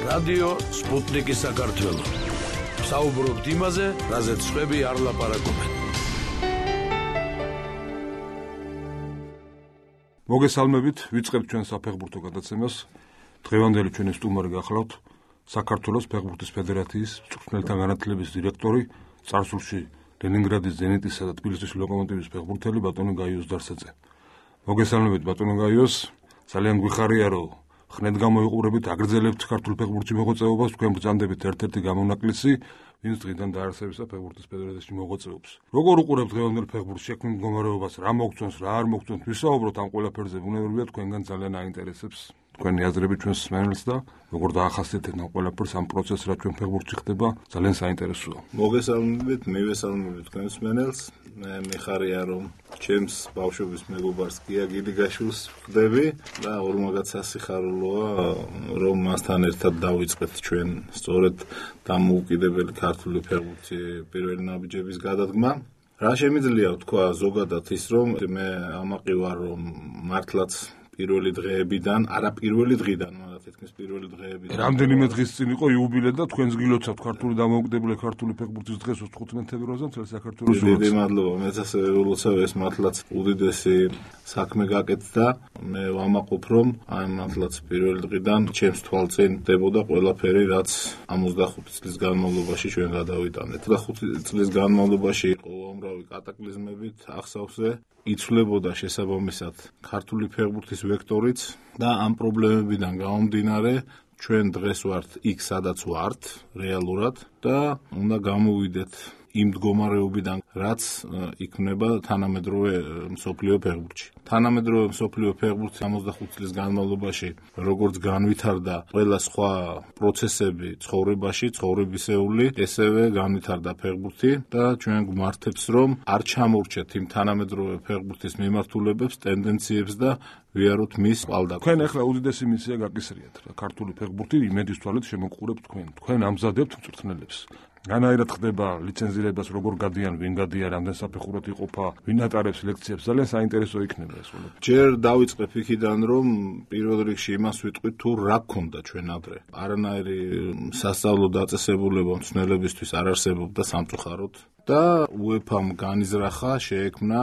რადიო სპუტნიკი საქართველო. საუბრობთ იმაზე, რაზეც სხვები არ ლაპარაკობენ. მოგესალმებით, ვიწყებთ ჩვენ საფეხბურთო გადაცემას. დღევანდელი ჩვენი სტუმარი გახლავთ საქართველოს ფეხბურთის ფედერაციის მწვრთნელთა განათლების დირექტორი, წარსულში ლენინგრადის ზენიტისა და თბილისის ლოკომოტივის ფეხბურთელი ბატონო გაიოს დარსაძე. მოგესალმებით ბატონო გაიოს, ძალიან გვიხარია რომ ხნედ გამოიყურებით, აგრძელებთ ქართულ ფეხბურთში მოღვაწეობას, თქვენ ბრძანდებით ერთ-ერთი გამონაკლისი, ვინც დღიდან დაარსებისა ფეხბურთის ფედერაციაში მოღვაწეობს. როგორ უყურებთ დღევანდელ ფეხბურთს შექმნილ მდგომარეობას, რა მოგწონს, რა არ მოგწონს, ვისაუბროთ ამ ყველაფერზე, ბუნებრივია თქვენგან ძალიან აინტერესებს თქვენი აზრები ჩვენს მსმენელს და როგორ დაახასიათებთ ამ ყველაფერს, ამ პროცესს, რა ჩვენ ფეხბურთში ხდება, ძალიან საინტერესოა. მოგესალმებით, მივესალმებით თქვენს მსმენელს. მე მიხარია რომ ჩემს ბავშვობის მეგობარს გია გილიგაშვილს ვხდები და ორმაგაც სასიხარულოა რომ მასთან ერთად დავიწყეთ ჩვენ სწორედ დამოუკიდებელი ქართული ფეხბურთი პირველი ნაბიჯების გადადგმა. რა შემიძლია ვთქვა ზოგადად ის რომ მე ამაყი ვარ რომ მართლაც პირველი დღეებიდან, არა პირველი დღიდან, მაგრამ თითქმის პირველი დღეებიდან. რამდენიმე დღის წინ იყო იუბილე და თქვენს გილოცავთ ქართული დამოუკიდებელი ქართული ფეხბურთის დღეს 15 თებერვალზე მთელ საქართველოს. დიდი მადლობა, მეც ასე ველოცავ, ეს მართლაც უდიდესი საქმე გაკეთდა. მე ვამაყობ რომ აი მართლაც პირველი დღიდან ჩემს თვალწინ ხდებოდა ყველაფერი, რაც 65 წლის განმავლობაში ჩვენ გადავიტანეთ. 25 წლის განმავლობაში იყო უამრავი კატაკლიზმებით ახსავსე. იცვლებოდა შესაბამისად ქართული ფეხბურთის ვექტორიც და ამ პრობლემებიდან გამომდინარე ჩვენ დღეს ვართ იქ სადაც ვართ რეალურად და უნდა გამოვიდეთ იმ მდგომარეობიდან რაც იქმნება თანამედროვე მსოფლიო ფეხბურთში. თანამედროვე მსოფლიო ფეხბურთი 65 წლის განმავლობაში როგორც განვითარდა ყველა სხვა პროცესები ცხოვრებაში, ცხოვრებისეული, ესევე განვითარდა ფეხბურთი და ჩვენ გვმართებს რომ არ ჩამორჩეთ იმ თანამედროვე ფეხბურთის მიმართულებებს, ტენდენციებს და ვიაროთ მის ყალდაკს. თქვენ ახლა უდიდესი მისია გაკისრიათ რა ქართული ფეხბურთი იმედის თვალით შემოგყურებთ თქვენ. თქვენ ამზადებთ მწვრთნელებს. განაირად ხდება ლიცენზირებას, როგორ გადიან, ვინ გადიან, რამდენ საფეხურად იყოფა, ვინ ატარებს ლექციებს, ძალიან საინტერესო იქნება ეს ყველაფერი. ჯერ დავიწყებ იქიდან, რომ პირველ რიგში იმას ვიტყვით, თუ რა გქონდა ჩვენ ადრე. არანაირი სასწავლო დაწესებულება მწვრთნელებისთვის არ არსებობდა სამწუხაროდ და UEFA-მ განიზრახა, შეექმნა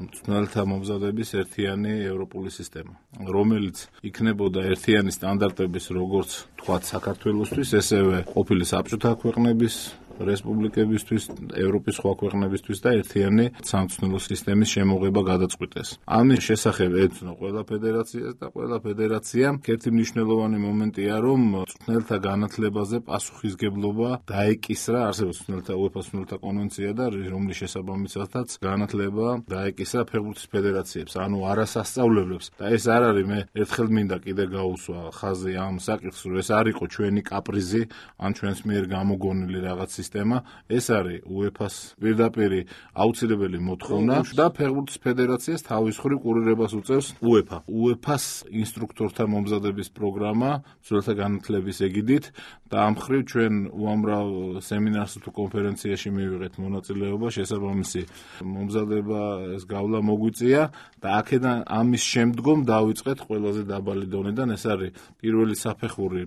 მწვრთნელთა მომზადების ერთიანი ევროპული სისტემა, რომელიც იქნებოდა ერთიანი სტანდარტების, როგორც თქვათ საქართველოსთვის, ესევე ყოფილი საბჭოთა ქვეყნების რესპუბლიკებისთვის, ევროპის სხვა ქვეყნებისთვის და ერთიანი სამწვრთნელო სისტემის შემოღება გადაწყვიტეს. ამის შესახებ ეცნო ყველა ფედერაციას და ყველა ფედერაციამ ერთი მნიშვნელოვანი მომენტია, რომ მწვრთნელთა განათლებაზე პასუხისგებლობა დაეკისრა, არსებობს მწვრთნელთა UEFA-ს მწვრთნელთა კონვენცია და რომლის შესაბამისადაც განათლება დაეკისრა ფეხბურთის ფედერაციებს, ანუ არასასწავლებლებს და ეს არ არის მე ერთხელ მინდა კიდე გაუსვა ხაზი ამ საკითხს, რომ ეს არ იყო ჩვენი კაპრიზი ან ჩვენს მიერ გამოგონილი რაღაც სისტემა, ეს არის UEFA-ს პირდაპირ აუცილებელი მოთხოვნა და ფეხბურთის ფედერაციას თავის მხრივ კურირებას უწევს UEFA. UEFA-ს ინსტრუქტორთა მომზადების პროგრამა მწვრთნელთა განათლების ეგიდით და ამ მხრივ ჩვენ უამრავ სემინარსა თუ კონფერენციაში მივიღეთ მონაწილეობა, შესაბამისი მომზადება ეს გავლა მოგვიწია და აქედან ამის შემდგომ დავიწყეთ ყველაზე დაბალი დონიდან, ეს არის პირველი საფეხური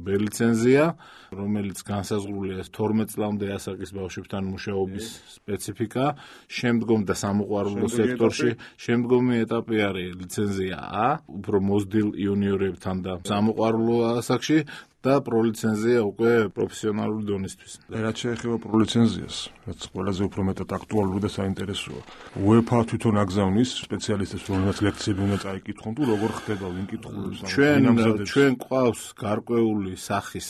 ბ-ლიცენზია, რომელიც განსაზღვრულია 12 წლამდე ასაკის ბავშვებთან მუშაობის სპეციფიკა, შემდგომ და სამოყვარულო სექტორში, შემდგომი ეტაპი არის ლიცენზია A, უფრო მოზრდილ იუნიორებთან და სამოყვარულო ასაკში და პროლიცენზია უკვე პროფესიონალური დონისთვის. რაც შეეხება პროლიცენზიას, რაც ყველაზე უფრო მეტად აქტუალური და საინტერესოა. UEFA თვითონ აგზავნის სპეციალისტებს, რომელსაც ლექციები უნდა წაიკითხონ, თუ როგორ ხდება, ვინ კითხულობს ამ ჩვენ ყავს გარკვეული სახის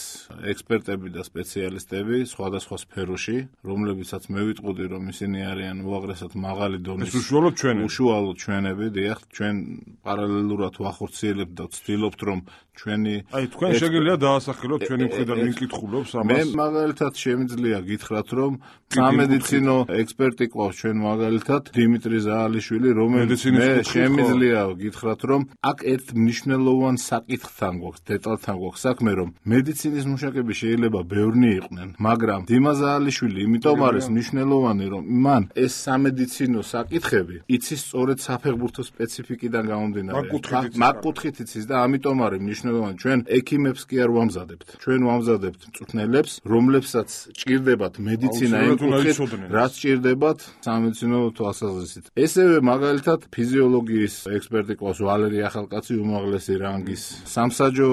ექსპერტები და სპეციალისტები სხვადასხვა სფეროში, რომლებიცაც მე ვიტყოდი, რომ ისინი არიან უაღრესად მაღალი დონის. ეს უშუალოდ ჩვენები, დიახ, ჩვენ პარალელურად ვახორციელებთ და ვცდილობთ, რომ ჩვენი თქვენ შეგიძლია დაასახელოთ ჩვენი მხრიდან ვინ კითხულობს ამას. მე მაგალითად შემიძლია გითხრათ, რომ სამედიცინო ექსპერტი ყავს ჩვენ მაგალითად დიმიტრი ზაალიშვილი, რომელიც მე შემიძლია გითხრათ, რომ აქ ერთ მნიშვნელოვან საკითხთან გვაქვს, დეტალთან გვაქვს საქმე, რომ მედიცინის მუშაკები შეიძლება ბევრნი იყვნენ, მაგრამ დიმა ზაალიშვილი იმიტომ არის მნიშვნელოვანი, რომ მან ეს სამედიცინო საკითხები იცის სწორედ საფეხბურთო სპეციფიკიდან გამომდინარე. მაგ კუთხით იცის და ამიტომ არის მნიშვნელოვანი. ჩვენ ექიმებს კი არ ვამზადებთ. ჩვენ ვამზადებთ მწვრთნელებს, რომლებსაც ჭირდებათ მედიცინა იმ კუთხით, რაც ჭირდებათ სამედიცინო თვალსაზრისით. ესევე მაგალითად ფიზიოლოგიის ექსპერტი ყავს ვალერი ახალკაცი უმაღლესი რანგის. სამსაჯო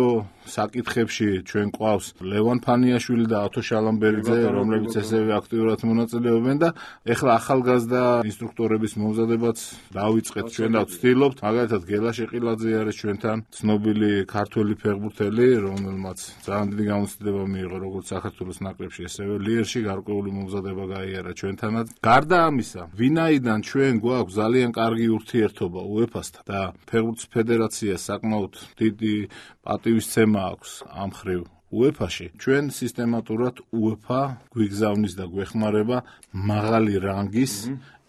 საკითხებში ჩვენ ყავს ლევან ფანიაშვილი და ათო შალამბერიძე, რომლებიც ესევე აქტიურად მონაწილეობენ და ეხლა ახალგაზრდა ინსტრუქტორების მომზადებაც დავიწყეთ ჩვენ და ვცდილობთ. მაგალითად გელა შეყილაძე არის ჩვენთან, ცნობილი ქართველი ფეხბურთელი, რომელმაც ძალიან დიდი გამოცდილება მიიღო როგორც საქართველოს ნაკრებში, ესევე ლიერში გარკვეული მომზადება გაიარა ჩვენთანაც. გარდა ამისა, ვინაიდან ჩვენ გვაქვს ძალიან კარგი ურთიერთობა UEFA-სთან და ფეხბურთის ფედერაციას საკმაოდ დიდი პატივისცემა აქვს ამ მხრივ UEFA-ში, ჩვენ სისტემატურად UEFA გვიგზავნის და გვეხმარება მაღალი რანგის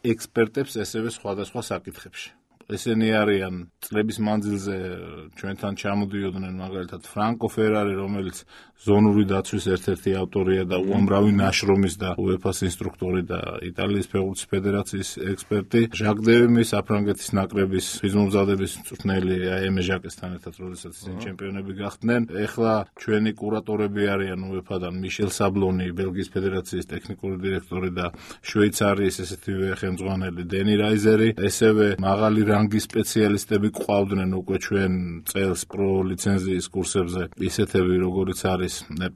ექსპერტებს ესევე სხვადასხვა საკითხებში. ესენი არიან წლების მანძილზე ჩვენთან ჩამოდიოდნენ მაგალითად ფრანკო ფერარი, რომელიც ზონური დაცვის ერთ-ერთი ავტორია და უამრავი ნაშრომის და UEFA-ს ინსტრუქტორი და იტალიის ფეხბურთის ფედერაციის ექსპერტი, ჟაკ დევიმი საფრანგეთის ნაკრების ფიზმომზადების მწვრთნელი აემე ჟაკესთან ერთად, როდესაც ისინი ჩემპიონები გახდნენ. ეხლა ჩვენი კურატორები არიან UEFA-დან მიშელ საბლონი, ბელგიის ფედერაციის ტექნიკური დირექტორი და შვეიცარიის ესეთივე ხელმძღვანელი დენი რაიზერი, ესევე მაღალი რანგის სპეციალისტები ყავდნენ უკვე ჩვენ წელს პრო ლიცენზიის კურსებზე, ისეთები როგორიც არის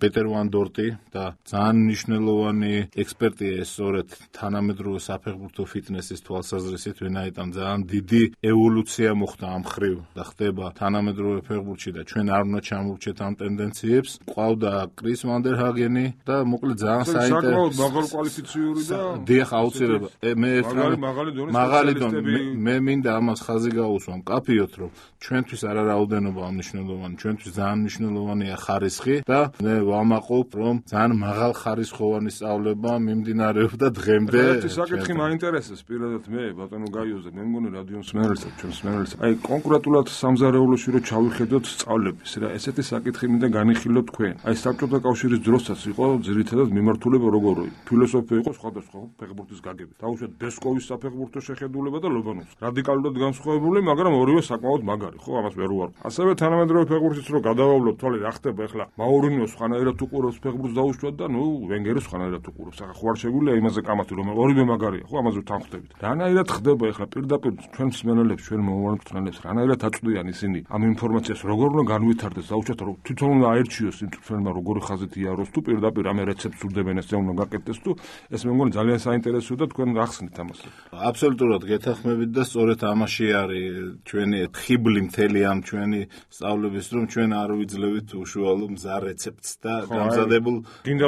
პეტერ ვან დორტი და ძალიან მნიშვნელოვანი ექსპერტია ეს სწორედ თანამედროვე საფეხბურთო ფიტნესის თვალსაზრისით, ვინაიდან ძალიან დიდი ევოლუცია მოხდა ამ მხრივ და ხდება თანამედროვე ფეხბურთში და ჩვენ არ უნდა ჩამოვჭეთ ამ ტენდენციებს. ყავდა კრის ვანდერჰაგენი და მოკლედ ძალიან საკმაოდ მაღალ კვალიფიციური და დიახ, აუცილებლად. მაღალი დონე. მე მინდა ამას ხაზი გაუსვამ კაფიოთ, რომ ჩვენთვის არა რაოდენობა მნიშვნელოვანი, ჩვენთვის ძალიან მნიშვნელოვანია ხარისხი და მე ვამაყობ, რომ ძალიან მაღალ ხარისხოვანი სწავლება მიმდინარეობდა დღემდე. ერთი საკითხი მაინტერესებს პირადად მე ბატონო გაიოზე, მე მგონი რადიო მსმენელსაც, ჩვენ მსმენელსაც. აი კონკრეტულად სამზარეულოში რომ ჩავიხედოთ სწავლების, რა ესეთი საკითხი მინდა განიხილოთ თქვენ. აი საბჭოთა კავშირის დროსაც იყო ძირითადად მიმართულება როგორი ფილოსოფია იყო სხვადასხვა ფეხბურთის გაგებით. დაუშვათ ბესკოვის საფეხბურთო შეხედულება და ლობანოვს. რადიკალურად განსხვავებული, მაგრამ ორივე საკმაოდ მაგარი, ხო, ამას ვერ ვარ. ასევე თანამედროვე ფეხბურთის რო გადავავლოთ, თვალე რა ხდება ახლა. მაურინიო სხვანაირად უყურებს ფეხბურთს დაუშვათ და ნუ ვენგერი სხვანაირად უყურებს. ახლა ხო არ შეგვიძლია იმაზე კამათი, რომ ორივე მაგარია, ხო, ამაზე თანხმდებით. რანაირად ხდება ახლა პირდაპირ ჩვენ მსმენელებს, ჩვენ მომავალ მწვრთნელებს, რანაირად აწვდიან ისინი ამ ინფორმაციას, როგორ უნდა განვითარდეს, დაუშვათ რომ თვითონ უნდა აერჩიოს იმ მწვრთნელმა როგორი ხაზით იაროს თუ პირდაპირ ამ რეცეპტს ურდებენ ესე უნდა გაკეთდეს თუ ეს მე მგონი ძალიან საინტერესოა და თქვენ გახსნით ამას. აბსოლუტურად გეთანხმებით და სწორედ ამაში არის ჩვენი ხიბლი მთელი ამ ჩვენი სწავლების, რომ ჩვენ არ ვიძლევით უშუალო მზარ რეცეპტს და გამზადებულ გინდა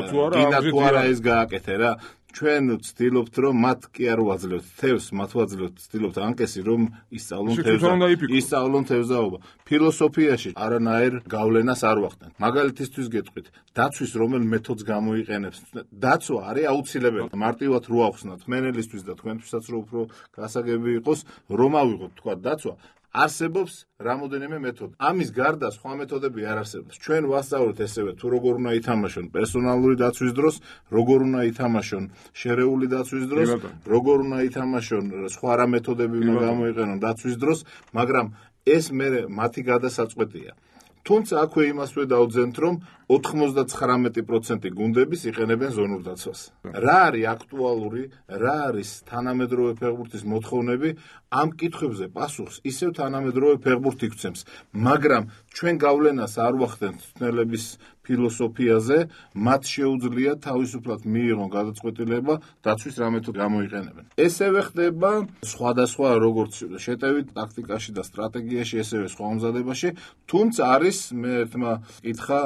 თუ არა ეს გააკეთე რა. ჩვენ ვცდილობთ, რომ მათ კი არ ვაძლევთ თევზს, მათ ვაძლევთ, ვცდილობთ ანკესი, რომ ისწავლონ თევზაობა. ფილოსოფიაში არანაირ გავლენას არ ვახდენთ. მაგალითისთვის გეტყვით, დაცვის რომელ მეთოდს გამოიყენებს. დაცვა არის აუცილებელი. მარტივად რო ახსნათ მენელისთვის და თქვენთვისაც რო უფრო გასაგები იყოს, რომ ავიღოთ თქვა დაცვა. არსებობს რამოდენიმე მეთოდი. ამის გარდა სხვა მეთოდები არ არსებობს. ჩვენ ვასწავლეთ ესევე თუ როგორ უნდა ითამაშონ პერსონალური დაცვის დროს, როგორ უნდა ითამაშონ შერეული დაცვის დროს, როგორ უნდა ითამაშონ სხვა რა მეთოდები უნდა გამოიყენონ დაცვის დროს, მაგრამ ეს მე მათი გადასაწყვეტია. თუმცა აქვე იმას ვედაუძენთ, რომ 99% გუნდების იყენებენ ზონურ დაცვას. რა არის აქტუალური, რა არის თანამედროვე ფეხბურთის მოთხოვნები, ამ კითხვებზე პასუხს ისევ თანამედროვე ფეხბურთი გვცემს, მაგრამ ჩვენ გავლენას არ ვახდენთ მწვრთნელების ფილოსოფიაზე, მათ შეუძლია თავისუფლად მიიღონ გადაწყვეტილება დაცვის რა მეთოდი გამოიყენებენ. ესევე ხდება სხვადასხვა როგორც შეტევით ტაქტიკაში და სტრატეგიაში, ესევე სხვა მომზადებაში, თუმცა არის მე ერთმა კითხა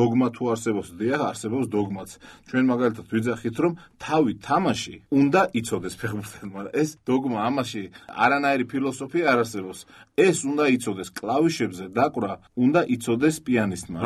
დოგმა თუ არსებობს, დიახ, არსებობს დოგმაც. ჩვენ მაგალითად ვიძახით, რომ თავი თამაში უნდა იცოდეს ფეხბურთელმა, მაგრამ ეს დოგმა ამაში არანაირი ფილოსოფია არ არსებობს. ეს უნდა იცოდეს კლავიშებზე დაკვრა, უნდა იცოდეს პიანისტმა.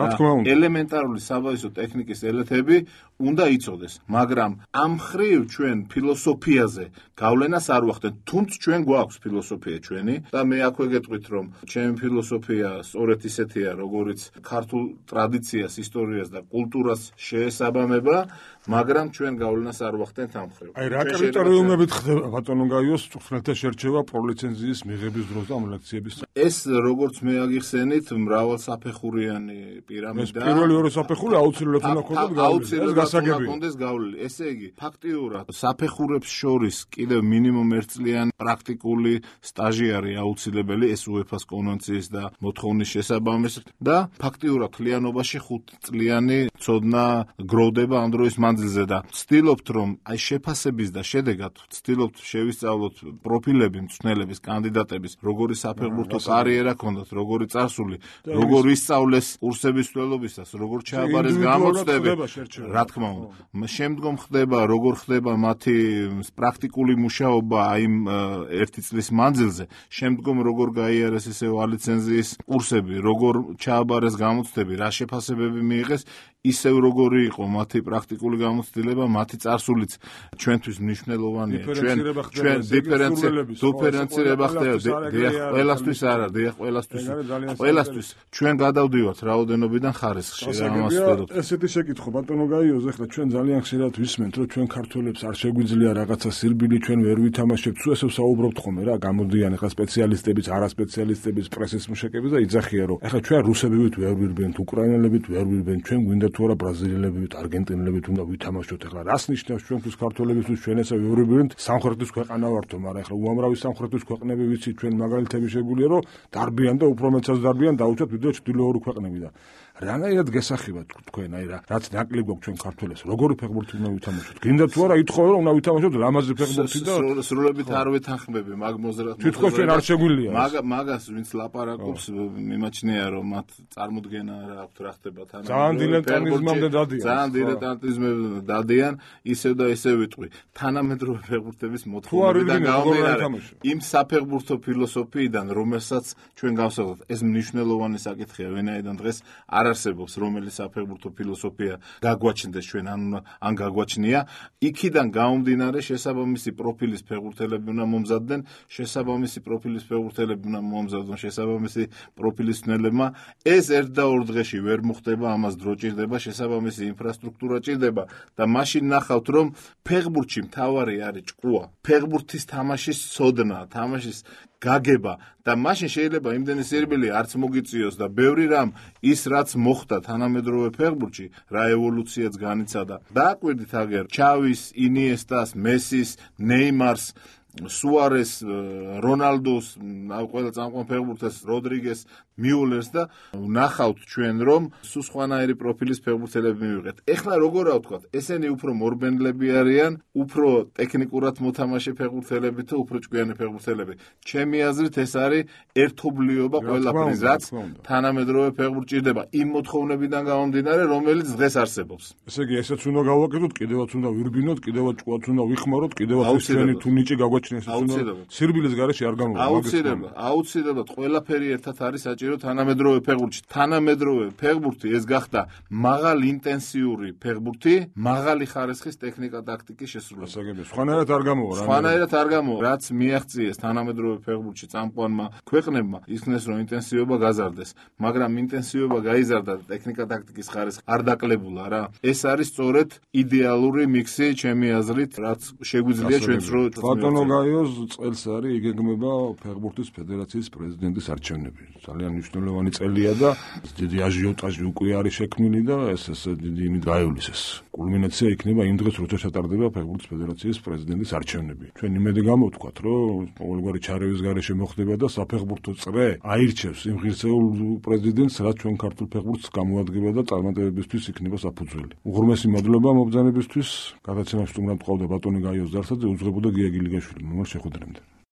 ელემენტარული საბაზო ტექნიკის ელემენტები უნდა იცოდეს, მაგრამ ამ ხრივ ჩვენ ფილოსოფიაზე გავლენას არ ვახდენთ, თუმცა ჩვენ გვაქვს ფილოსოფია ჩვენი და მე აქვე გეტყვით, რომ ჩემი ფილოსოფია სწორედ ისეთია, როგორც ქართულ ტრადიციას, ისტორიას და კულტურას შეესაბამება მაგრამ ჩვენ გავლენას არ ვახდენთ ამ მხრივ. აი რა კრიტერიუმებით ხდება ბატონო გაიოს წვრთნელთა შერჩევა პროლიცენზიის მიღების დროს და ამ ლექციების? ეს როგორც მე აგიხსენით, მრავალსაფეხურიანი პირამიდა. ეს პირველი ორი საფეხური აუცილებლად უნდა ქონდეს გავლილი. ეს გასაგებია. კონდეს გავლილი. ესე იგი, ფაქტიურად საფეხურებს შორის კიდევ მინიმუმ 1 წლიანი პრაქტიკული სტაჟი არის აუცილებელი, ეს UEFA-ს კონვენციის და მოთხოვნის შესაბამისად და ფაქტიურად თლიანობაში 5 წლიანი ცოდნა გროვდება ამ დროის მანძილზე და ვცდილობთ რომ აი შეფასების და შედეგად ვცდილობთ შევისწავლოთ პროფილები მწვრთნელების, კანდიდატების, როგორი საფეხბურთო კარიერა ჰქონდათ, როგორი წარსული, როგორ ისწავლეს კურსების მცველობისას, როგორ ჩააბარეს გამოცდები, რა თქმა უნდა. შემდგომ ხდება, როგორ ხდება მათი პრაქტიკული მუშაობა აი 1 წლის მანძილზე, შემდგომ როგორ გაიარეს ესე ლიცენზიის კურსები, როგორ ჩააბარეს გამოცდები, რა შეფასებები მიიღეს, ისევ როგორი იყო მათი პრაქტიკული გამოცდილება, მათი წარსულიც ჩვენთვის მნიშვნელოვანია. ჩვენ დიფერენცირება ხდება, ყველასთვის არა, ყველასთვის ჩვენ გადავდივართ რაოდენობიდან ხარისხში, რა ამას ვთქვით. ესეთი შეკითხვა ბატონო გაიოზ, ახლა ჩვენ ძალიან ხშირად ვისმენთ, რომ ჩვენ ქართველებს არ შეგვიძლია რაღაცა სირბილი, ჩვენ ვერ ვითამაშებთ, სულ ესე საუბრობთ ხოლმე რა, გამოდიან ახლა სპეციალისტებიც, არასპეციალისტებიც, პრესის მუშაკებიც და იძახიან, რომ ახლა ჩვენ რუსებივით ვერ ვირბენთ, უკრაინელებით ვერ ვირბენთ, ჩვენ გვინდა თუ არა ბრაზილიელებივით, არგენტინელებით უნდა ვითამაშოთ. ახლა რას ნიშნავს ჩვენთვის ქართველებისთვის ჩვენ ესე ვირბენთ, სამხრეთის ქვეყანა ვართო, მაგრამ ახლა უამრავი სამხრეთის ქვეყნები ვიცით ჩვენ მაგალითები შეგვიძლია, რომ დარბიან და უფრო მეცაც დარბიან, დაუჩათ ვიდრე ჩრდილოური ქვეყნები და რანაირად გესახებათ თქვენ აი რაც ნაკლებ გვაქვს ჩვენ ქართველებს როგორი ფეხბურთი უნდა ვითამაშოთ გინდა თუ არა ითხოვე რომ უნდა ვითამაშოთ ლამაზი ფეხბურთი და სრულებით არ ვეთანხმები მაგ მოზრად თითქოს ჩვენ არ შეგვიძლია მაგას ვინც ლაპარაკობს მიმაჩნია რომ მათ წარმოდგენა რა აქვთ რა ხდება თან ძალიან დილეტანტიზმამდე დადიან ძალიან დილეტანტიზმამდე დადიან ისევ და ისევ ვიტყვი თანამედროვე ფეხბურთების მოთხოვნებიდან გამომდინარე იმ საფეხბურთო ფილოსოფიიდან რომელსაც ჩვენ გავსაუბრობთ ეს მნიშვნელოვანი საკითხია ვინაიდან დღეს არ არსებობს რომელიც საფეხბურთო ფილოსოფია გაგვაჩნდეს ჩვენ ან გაგვაჩნია იქიდან გამომდინარე შესაბამისი პროფილის ფეხბურთელები უნდა მომზადდნენ შესაბამისი პროფილის ფეხბურთელები უნდა მომზადონ შესაბამისი პროფილის მცველებმა ეს ერთ და ორ დღეში ვერ მოხდება ამას დრო ჭირდება შესაბამისი ინფრასტრუქტურა ჭირდება და მაშინ ნახავთ რომ ფეხბურთში მთავარი არის ჭკუა ფეხბურთის თამაშის ცოდნა თამაშის გაგება და მაშინ შეიძლება იმდენი სირბილი არც მოგიწიოს და ბევრი რამ ის რაც მოხდა თანამედროვე ფეხბურთში რა ევოლუციაც განიცადა დააკვირდით აგერ ჩავის ინიესტას მესის ნეიმარს სუარეს რონალდოს ყველა წამყვან ფეხბურთელს როდრიგეს მიულერს და ნახავთ ჩვენ რომ სულ სხვანაირი პროფილის ფეხბურთელები მივიღეთ. ეხლა როგორ ავთქვათ, ესენი უფრო მორბენლები არიან, უფრო ტექნიკურად მოთამაშე ფეხბურთელები თუ უფრო ჭკვიანი ფეხბურთელები. ჩემი აზრით ეს არის ერთობლიობა ყველაფრის, რაც თანამედროვე ფეხბურთს ჭირდება იმ მოთხოვნებიდან გამომდინარე, რომელიც დღეს არსებობს. ესე იგი, ესეც უნდა გავაკეთოთ, კიდევაც უნდა ვირბინოთ, კიდევაც ჭკვაც უნდა ვიხმაროთ, კიდევაც ჩვენი თუ ნიჭი გაგვაჩნიეს, სირბილის გარეშე არ გამოვა. აუცილებლად ყველაფერი ერთად არის თანამედროვე ფეხბურთში. თანამედროვე ფეხბურთი ეს გახდა მაღალი ინტენსიური ფეხბურთი, მაღალი ხარისხის ტექნიკა ტაქტიკის შესრულება. სხვანაირად არ გამოვა რა. სხვანაირად არ გამოვა. რაც მიაღწიეს თანამედროვე ფეხბურთში წამყვანმა ქვეყნებმა, იქნეს რომ ინტენსივობა გაზარდეს, მაგრამ ინტენსივობა გაიზარდა და ტექნიკა ტაქტიკის ხარისხი არ დაკლებულა რა. ეს არის სწორედ იდეალური მიქსი ჩემი აზრით, რაც შეგვიძლია ჩვენს რო ბატონო გაიოს წელს არის იგეგმება ფეხბურთის ფედერაციის პრეზიდენტის არჩევნები. ძალიან მნიშვნელოვანი წელია და დიდი აჟიოტაჟი უკვე არის შექმნილი და ეს დიდი იმით გაივლისეს. კულმინაცია იქნება იმ დღეს, როცა ჩატარდება ფეხბურთის ფედერაციის პრეზიდენტის არჩევნები. ჩვენ იმედი გამოვთქვათ, რომ ყოველგვარი ჩარევის გარეშე მოხდება და საფეხბურთო წრე აირჩევს იმ ღირსეულ პრეზიდენტს, რაც ჩვენ ქართულ ფეხბურთს გამოადგება და წარმატებებისთვის იქნება საფუძველი. უღრმესი მადლობა მობრძანებისთვის. გადაცემაში სტუმრად მყავდა ბატონი გაიოს ზარსაძე, უძღვებოდა გია გილიგაშვილი. მომავალ შეხვედრამდე.